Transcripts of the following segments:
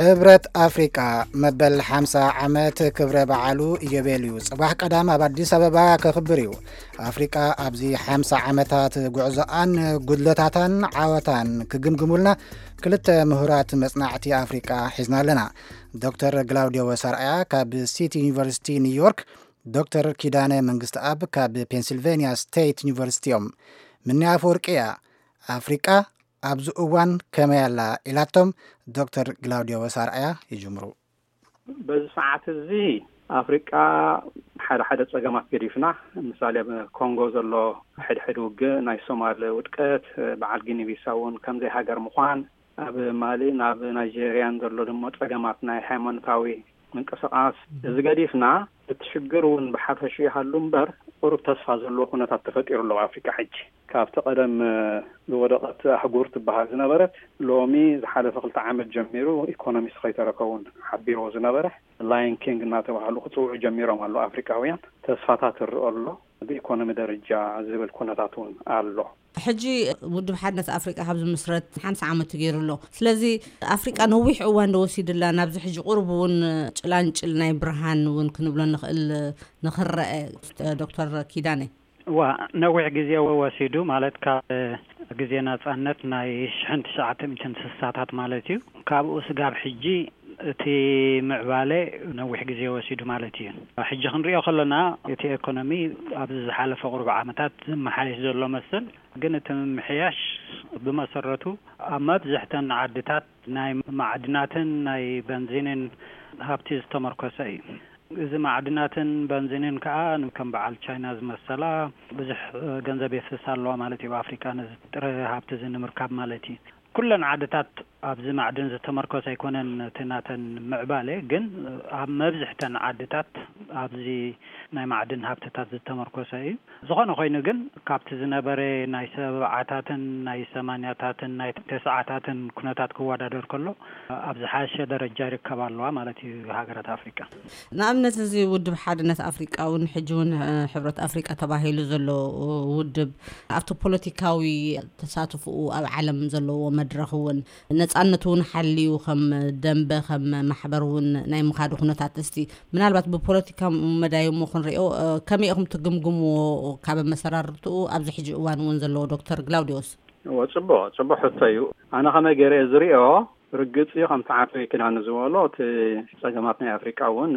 ህብረት ኣፍሪቃ መበል ሓምሳ ዓመት ክብረ በዓሉ ኢዮቤልዩ ጽባሕ ቀዳም ኣብ ኣዲስ ኣበባ ከኽብር እዩ። ኣፍሪቃ ኣብዚ ሓምሳ ዓመታት ጉዕዞኣን ጉድለታታን ዓወታን ክግምግሙልና ክልተ ምሁራት መጽናዕቲ ኣፍሪቃ ሒዝና ኣለና። ዶክተር ግላውዲዮ ወሳርኣያ ካብ ሲቲ ዩኒቨርሲቲ ኒውዮርክ፣ ዶክተር ኪዳነ መንግስትኣብ ካብ ፔንሲልቬንያ ስቴት ዩኒቨርሲቲ እዮም። ምንያ ኣፈወርቂ እያ ኣፍሪቃ ኣብዚ እዋን ከመይ ኣላ ኢላቶም ዶክተር ግላውዲዮ ወሳርኣያ ይጅምሩ። በዚ ሰዓት እዚ ኣፍሪቃ ሓደ ሓደ ጸገማት ገዲፍና፣ ምሳሌ ኣብ ኮንጎ ዘሎ ሕድሕድ ውግእ፣ ናይ ሶማል ውድቀት፣ በዓል ጊኒ ቢሳው እውን ከምዘይ ሃገር ምዃን፣ ኣብ ማሊ ናብ ናይጄርያን ዘሎ ድማ ጸገማት ናይ ሃይማኖታዊ ምንቅስቃስ፣ እዚ ገዲፍና እቲ ሽግር እውን ብሓፈሽ ይሃሉ እምበር ቁሩብ ተስፋ ዘለዎ ኩነታት ተፈጢሩ ኣሎ ኣብ ኣፍሪቃ ሕጂ። ካብቲ ቀደም ዝወደቐት ኣህጉር ትበሃል ዝነበረት ሎሚ ዝሓለፈ ክልተ ዓመት ጀሚሩ ኢኮኖሚስት ከይተረከ እውን ሓቢርዎ ዝነበረ ላየን ኪንግ እናተባህሉ ክፅውዑ ጀሚሮም ኣሎ ኣፍሪቃውያን። ተስፋታት ይረአ ኣሎ ብኢኮኖሚ ደረጃ ዝብል ኩነታት እውን ኣሎ። ሕጂ ውድብ ሓድነት ኣፍሪቃ ካብ ዝምስረት ሓምሳ ዓመት ገይሩ ኣሎ። ስለዚ ኣፍሪቃ ነዊሕ እዋን ዶ ወሲድላ ናብዚ ሕጂ ቁሩብ እውን ጭላንጭል ናይ ብርሃን እውን ክንብሎ ንኽእል ንኽረአ? ዶክተር ኪዳነ። ዋ፣ ነዊሕ ግዜ ወሲዱ ማለት ካብ ግዜ ናጻነት ናይ ሽሕን ትሽዓተ ሚእትን ስሳታት ማለት እዩ። ካብኡ ስጋብ ሕጂ እቲ ምዕባለ ነዊሕ ግዜ ወሲዱ ማለት እዩ። ሕጂ ክንሪኦ ከለና እቲ ኤኮኖሚ ኣብዚ ዝሓለፈ ቁሩብ ዓመታት ዝመሓየሽ ዘሎ መስል፣ ግን እቲ ምምሕያሽ ብመሰረቱ ኣብ መብዝሕተን ዓድታት ናይ ማዕድናትን ናይ በንዚንን ሃብቲ ዝተመርኮሰ እዩ። እዚ ማዕድናትን በንዚንን ከኣ ከም በዓል ቻይና ዝመሰላ ብዙሕ ገንዘብ የፍስሳ ኣለዋ ማለት እዩ። ኣፍሪካ ነዚ ጥረ ሃብቲ እዚ ንምርካብ ማለት እዩ። ኩለን ዓድታት ኣብዚ ማዕድን ዝተመርኮሰ ኣይኮነን እቲ ናተን ምዕባለ፣ ግን ኣብ መብዝሕተን ዓድታት ኣብዚ ናይ ማዕድን ሃብትታት ዝተመርኮሰ እዩ። ዝኾነ ኮይኑ ግን ካብቲ ዝነበረ ናይ ሰብዓታትን ናይ ሰማንያታትን ናይ ተስዓታትን ኩነታት ክወዳደር ከሎ ኣብ ዝሓሸ ደረጃ ይርከባ ኣለዋ ማለት እዩ ሃገራት ኣፍሪቃ። ንኣብነት እዚ ውድብ ሓድነት ኣፍሪቃ እውን ሕጂ እውን ሕብረት ኣፍሪቃ ተባሂሉ ዘሎ ውድብ ኣብቲ ፖለቲካዊ ተሳትፎኡ ኣብ ዓለም ዘለዎ መድረኽ እውን ነጻነቱ እውን ሓልዩ ከም ደንበ ከም ማሕበር እውን ናይ ምኻዱ ኩነታት እስቲ ምናልባት ብፖለቲካ መዳይ እሞ ክንሪኦ ከመይ ኢኹም ትግምግምዎ ካብ ኣመሰራርትኡ ኣብዚ ሕጂ እዋን እውን ዘለዎ ዶክተር ግላውዲዮስ? እዎ፣ ጽቡቕ ጽቡቕ ሕቶ እዩ። ኣነ ከመይ ገይረ እየ ዝሪኦ? ርግጽ እዩ፣ ከምቲ ዓቶ ኪዳነ ዝበሎ እቲ ጸገማት ናይ ኣፍሪቃ እውን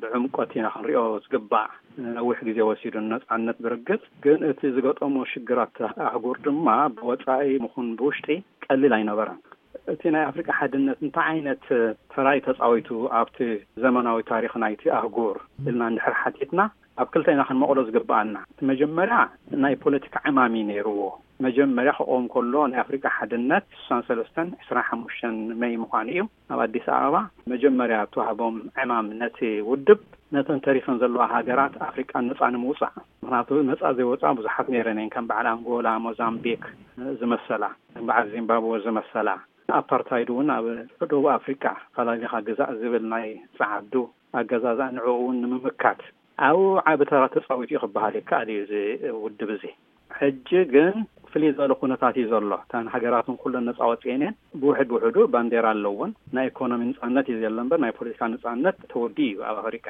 ብዕምቆት ኢና ክንሪኦ ዝግባእ። ነዊሕ ግዜ ወሲዱ ነጻነት ብርግጽ፣ ግን እቲ ዝገጠሞ ሽግራት ኣህጉር ድማ ብወጻኢ ምኹን ብውሽጢ ቀሊል ኣይነበረን። እቲ ናይ ኣፍሪቃ ሓድነት እንታይ ዓይነት ተራይ ተጻዊቱ ኣብቲ ዘመናዊ ታሪኽ ናይቲ ኣህጉር ኢልና እንድሕር ሓቲትና፣ ኣብ ክልተ ኢና ክንመቕሎ ዝግብኣና። እቲ መጀመርያ ናይ ፖለቲካ ዕማም እዩ ነይርዎ። መጀመርያ ክቆም ከሎ ናይ ኣፍሪቃ ሓድነት ስሳን ሰለስተን ዕስራን ሓሙሽተን መይ ምዃኑ እዩ ኣብ ኣዲስ ኣበባ መጀመርያ እተዋህቦም ዕማም ነቲ ውድብ ነተን ተሪፈን ዘለዋ ሃገራት ኣፍሪቃ ነጻ ንምውጻእ። ምክንያቱ ነጻ ዘይወጻ ብዙሓት ነይረን እየን፣ ከም በዓል ኣንጎላ፣ ሞዛምቢክ ዝመሰላ፣ ከም በዓል ዚምባብወ ዝመሰላ። ኣፓርታይድ እውን ኣብ ደቡብ ኣፍሪቃ ፈላሊኻ ግዛእ ዝብል ናይ ጸዓዱ ኣገዛዝኣ ንዕኡ እውን ንምምካት ኣብኡ ዓቢ ተራ ተጻዊቱ እዩ ክበሃል ይከኣል እዩ እዚ ውድብ እዚ። ሕጂ ግን ፍልይ ዝበለ ኩነታት እዩ ዘሎ። እተን ሃገራትን ኩለን ነጻ ወጺኤን እየን። ብውሕድ ብውሕዱ ባንዴራ ኣለውን። ናይ ኢኮኖሚ ነጻነት እዩ ዘሎ እምበር ናይ ፖለቲካ ነጻነት ተወዲኡ እዩ ኣብ ኣፍሪቃ።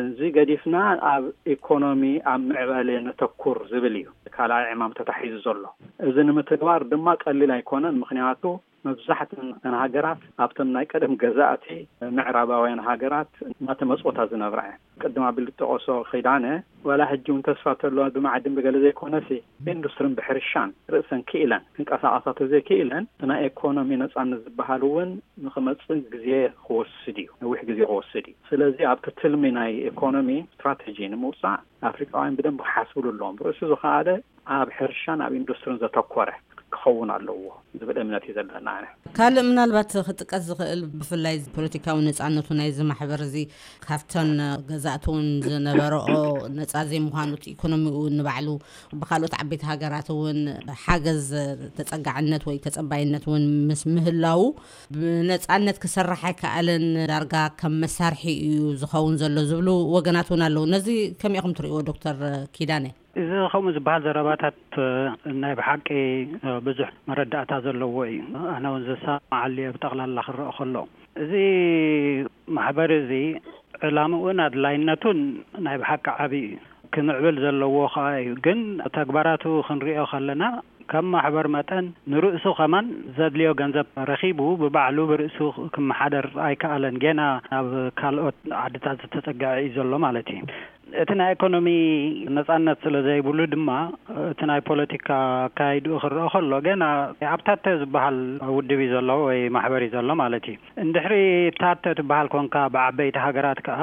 እዚ ገዲፍና ኣብ ኢኮኖሚ ኣብ ምዕባለ ነተኩር ዝብል እዩ ካልኣይ ዕማም ተታሒዙ ዘሎ። እዚ ንምትግባር ድማ ቀሊል ኣይኮነን። ምክንያቱ መብዛሕትአን እተን ሃገራት ኣብቶም ናይ ቀደም ገዛእቲ ምዕራባውያን ሃገራት እናተመጽወታ ዝነብራ እየን። ቅድም ኣቢሉ ዝጠቐሶ ኪዳነ፣ ዋላ ሕጂ እውን ተስፋ ተለዋ ብማዕድን ብገለ ዘይኮነሲ ብኢንዱስትሪን ብሕርሻን ርእሰን ክኢለን ክንቀሳቐሳ ተዘይክኢለን እቲ ናይ ኢኮኖሚ ነጻነት ዝበሃል እውን ንኽመጽእ ግዜ ክወስድ እዩ፣ ነዊሕ ግዜ ክወስድ እዩ። ስለዚ ኣብቲ ትልሚ ናይ ኢኮኖሚ ስትራተጂ ንምውጻእ ኣፍሪቃውያን ብደንቢ ክሓስብሉ ኣለዎም። ብርእሱ ዝኸኣለ ኣብ ሕርሻን ኣብ ኢንዱስትሪን ዘተኮረ ክኸውን ኣለዎ ዝብል እምነት እዩ ዘለና። ኣነ ካልእ ምናልባት ክጥቀስ ዝኽእል ብፍላይ ፖለቲካዊ ነጻነቱ ናይዚ ማሕበር እዚ ካብተን ገዛእቲ እውን ዝነበረኦ ነጻ ዘይምዃኑ እቲ ኢኮኖሚኡ ንባዕሉ ብካልኦት ዓበይቲ ሃገራት እውን ሓገዝ ተጸጋዕነት ወይ ተጸባይነት እውን ምስ ምህላዉ ብነጻነት ክሰርሕ ኣይከኣለን፣ ዳርጋ ከም መሳርሒ እዩ ዝኸውን ዘሎ ዝብሉ ወገናት እውን ኣለዉ። ነዚ ከመይ ኢኹም ትርእይዎ ዶክተር ኪዳነ? እዚ ከምኡ ዝበሃል ዘረባታት፣ እ፣ ናይ ብሓቂ፣ እ፣ ብዙሕ መረዳእታ ዘለዎ እዩ። ኣነ እውን ዝሰማዓሉ እየ ብጠቕላላ ክረአ ከሎ። እዚ ማሕበር እዚ ዕላምኡን ኣድላይነቱን ናይ ብሓቂ ዓቢ እዩ። ክምዕብል ዘለዎ ከኣ እዩ። ግን ተግባራቱ ክንሪኦ ከለና፣ ከም ማሕበር መጠን ንርእሱ ከማን ዘድልዮ ገንዘብ ረኺቡ ብባዕሉ ብርእሱ ክመሓደር ኣይከኣለን። ጌና ናብ ካልኦት ዓድታት ዝተጸግዐ እዩ ዘሎ ማለት እዩ። እቲ ናይ ኢኮኖሚ ነጻነት ስለ ዘይብሉ ድማ፣ እቲ ናይ ፖለቲካ ኣካይድኡ ክረአ ከሎ፣ ገና ኣብ ታተ ዝበሃል ውድብ እዩ ዘሎ ወይ ማሕበር እዩ ዘሎ ማለት እዩ። እንድሕሪ ታተ ትበሃል ኮንካ፣ ብዓበይቲ ሃገራት ከኣ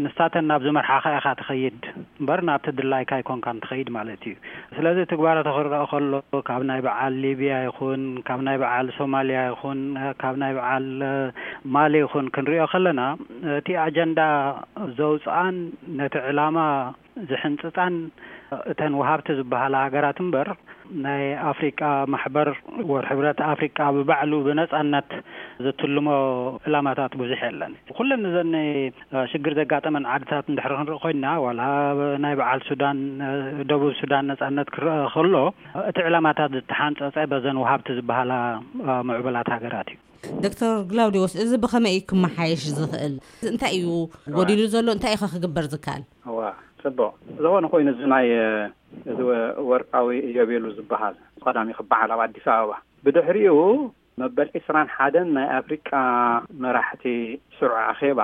ንሳተን ናብ ዝመርሓኻ ኢኻ ትኸይድ እምበር፣ ናብቲ ድላይካ ኣይኮንካን ትኸይድ ማለት እዩ። ስለዚ ትግባራቱ ክረአ ከሎ፣ ካብ ናይ በዓል ሊብያ ይኹን፣ ካብ ናይ በዓል ሶማልያ ይኹን፣ ካብ ናይ በዓል፣ እ፣ ማሊ ይኹን ክንሪኦ ከለና፣ እቲ ኣጀንዳ ዘውጽኣን ነቲ ዕላማ ዝሕንጽጻን እተን ወሃብቲ ዝበሃላ ሃገራት እምበር፣ ናይ ኣፍሪቃ ማሕበር ወር ሕብረት ኣፍሪቃ ብባዕሉ ብነጻነት ዝትልሞ ዕላማታት ብዙሕ የለን። ኩለን እዘን፣ እ፣ ሽግር ዘጋጠመን ዓድታት እንድሕር ክንርኢ ኮይንና፣ ዋላ ናይ በዓል ሱዳን፣ እ፣ ደቡብ ሱዳን ነጻነት ክረአ ከሎ፣ እቲ ዕላማታት ዝተሓንጸጸ በዘን ወሃብቲ ዝበሃላ፣ እ፣ ምዕቡላት ሃገራት እዩ። ዶክተር ግላውዲዎስ፣ እዚ ብኸመይ እዩ ክመሓየሽ ዝኽእል? እንታይ እዩ ጎዲሉ ዘሎ? እንታይ እዩ ከ ክግበር ዝከኣል? እዋ፣ ጽቡቕ። ዝኾነ ኮይኑ፣ እዚ ናይ፣ እ፣ እዚ ወ-፣ ወርቃዊ ኢዮቤሉ ዝበሃል ቀዳሚ ክበዓል ኣብ ኣዲስ ኣበባ፣ ብድሕሪኡ መበል ዕስራን ሓደን ናይ ኣፍሪቃ መራሕቲ ስሩዕ ኣኼባ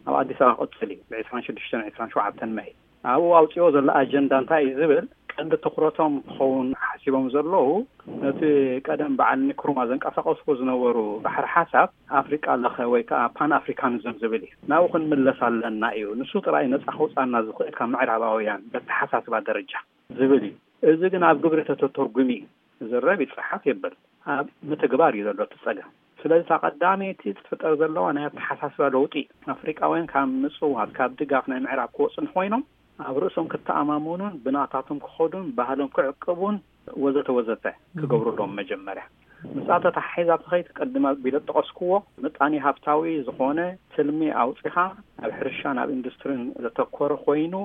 ኣብ ኣዲስ ኣበባ ክቕጽል እዩ፣ ብ ዕስራን ሽዱሽተን ዕስራን ሸውዓተን መይ። ኣብኡ ኣውጺኦ ዘሎ ኣጀንዳ እንታይ እዩ ዝብል፣ ቀንዲ ትኹረቶም ክኸውን ሓሲቦም ዘለዉ፣ ነቲ ቀደም በዓል ንክሩማ ዘንቀሳቐስዎ ዝነበሩ ባሕሪ ሓሳብ ኣፍሪቃ ለኸ ወይ ከዓ ፓን ኣፍሪካኒዝም ዝብል እዩ። ናብኡ ክንምለስ ኣለና እዩ። ንሱ ጥራይ ነጻ ከውጻና ዝኽእል ካብ ምዕራባውያን በተሓሳስባ ደረጃ ዝብል እዩ። እዚ ግን ኣብ ግብሪ ተተተርጉሚ እዩ። ዝረብ ይጸሓፍ የብል፣ ኣብ ምትግባር እዩ ዘሎ እቲ ጸገም። ስለዚ እታ ቀዳመይቲ ትፍጠር ዘለዋ ናይ ኣተሓሳስባ ለውጢ፣ ኣፍሪቃውያን ካብ ምጽዋት፣ ካብ ድጋፍ ናይ ምዕራብ ክወጹ እንተኾይኖም፣ ኣብ ርእሶም ክተኣማመኑን ብናታቶም ክኸዱን ባህሎም ክዕቅቡን ወዘተ ወዘተ ክገብሩ ኣለዎም። መጀመርያ ምስኣ ተተሓሒዛ ትኸይድ፣ ቅድም ኣቢለ ዝጠቐስክዎ ምጣኔ ሃብታዊ ዝኾነ ትልሚ ኣውጺኻ ኣብ ሕርሻን ኣብ ኢንዱስትሪን ዘተኮረ ኮይኑ፣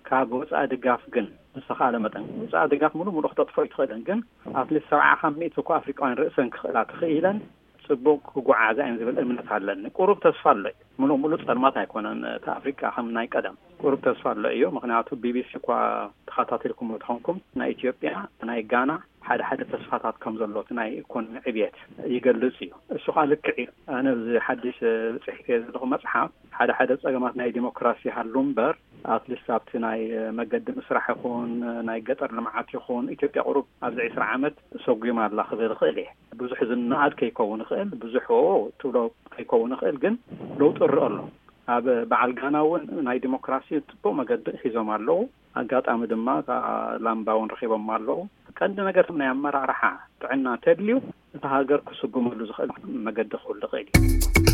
ካብ ወጻኢ ድጋፍ ግን ብዝተኻእለ መጠን፣ ወጻኢ ድጋፍ ሙሉእ ሙሉእ ክተጥፍኦ ኣይትኽእልን፣ ግን ኣትሊስት ሰብዓ ካብ ሚእቲ እኮ ኣፍሪቃውያን ርእሰን ክኽእላ ተኽኢለን ጽቡቕ ክጓዓዛ እየን ዝብል እምነት ኣለኒ። ቁሩብ ተስፋ ኣሎ እዩ። ሙሉእ ሙሉእ ጸልማት ኣይኮነን እቲ ኣፍሪቃ ከም ናይ ቀደም። ቁሩብ ተስፋ ኣሎ እዩ። ምኽንያቱ ቢቢሲ እኳ ተኸታቲልኩም ተኾንኩም፣ ናይ ኢትዮጵያ፣ ናይ ጋና ሓደ ሓደ ተስፋታት ከም ዘሎ፣ እቲ ናይ ኢኮኖሚ ዕብየት ይገልጽ እዩ። እሱ ኸኣ ልክዕ እዩ። ኣነ ኣብዚ ሓድሽ ጽሒፈ ዘለኹ መጽሓፍ፣ ሓደ ሓደ ጸገማት ናይ ዲሞክራሲ ይሃሉ እምበር፣ ኣትሊስት ኣብቲ ናይ መገዲ ምስራሕ ይኹን፣ ናይ ገጠር ልምዓት ይኹን፣ ኢትዮጵያ ቁሩብ ኣብዚ ዕስራ ዓመት ሰጒማ ኣላ ክብል እኽእል እየ። ብዙሕ ዝነኣድ ከይከውን ይኽእል፣ ብዙሕ ኦ ትብሎ ከይከውን ይኽእል፣ ግን ለውጢ ይረአ ኣሎ። ኣብ በዓል ጋና እውን ናይ ዲሞክራሲ ጽቡቕ መገዲ ሒዞም ኣለዉ። ኣጋጣሚ ድማ እታ ላምባ እውን ረኺቦም ኣለዉ። ቀንዲ ነገር ናይ ኣመራርሓ ጥዕና ተድልዩ፣ እታ ሃገር ክስጉመሉ ዝኽእል መገዲ ክህሉ ይኽእል እዩ።